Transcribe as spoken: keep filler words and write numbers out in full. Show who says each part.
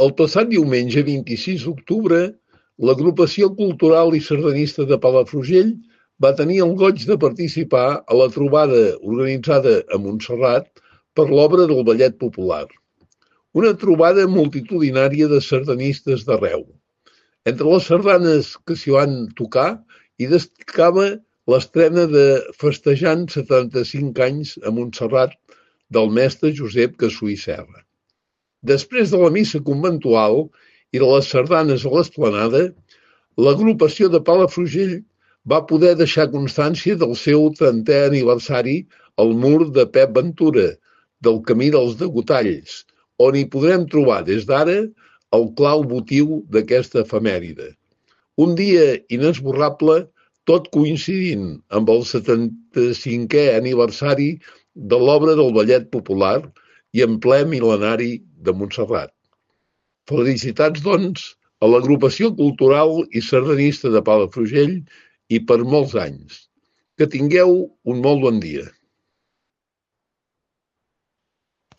Speaker 1: El passat diumenge vint-i-sis d'octubre, l'Agrupació Cultural i Sardanista de Palafrugell va tenir el goig de participar a la trobada organitzada a Montserrat per l'obra del Ballet Popular. Una trobada multitudinària de sardanistes d'arreu. Entre les sardanes que s'hi van tocar hi destacava l'estrena de Festejant setanta-cinc anys a Montserrat del mestre Josep Cassú i Serra. Després de la missa conventual i de les sardanes a l'esplanada, l'agrupació de Palafrugell va poder deixar constància del seu trentè aniversari al mur de Pep Ventura, del Camí dels Degotalls, on hi podrem trobar des d'ara el clau votiu d'aquesta efemèride. Un dia inesborrable, tot coincidint amb el setanta-cinquè aniversari de l'obra del Ballet Popular i en ple mil·lenari de Montserrat. Felicitats, doncs, a l'Agrupació Cultural i Sardanista de Palafrugell i per molts anys. Que tingueu un molt bon dia.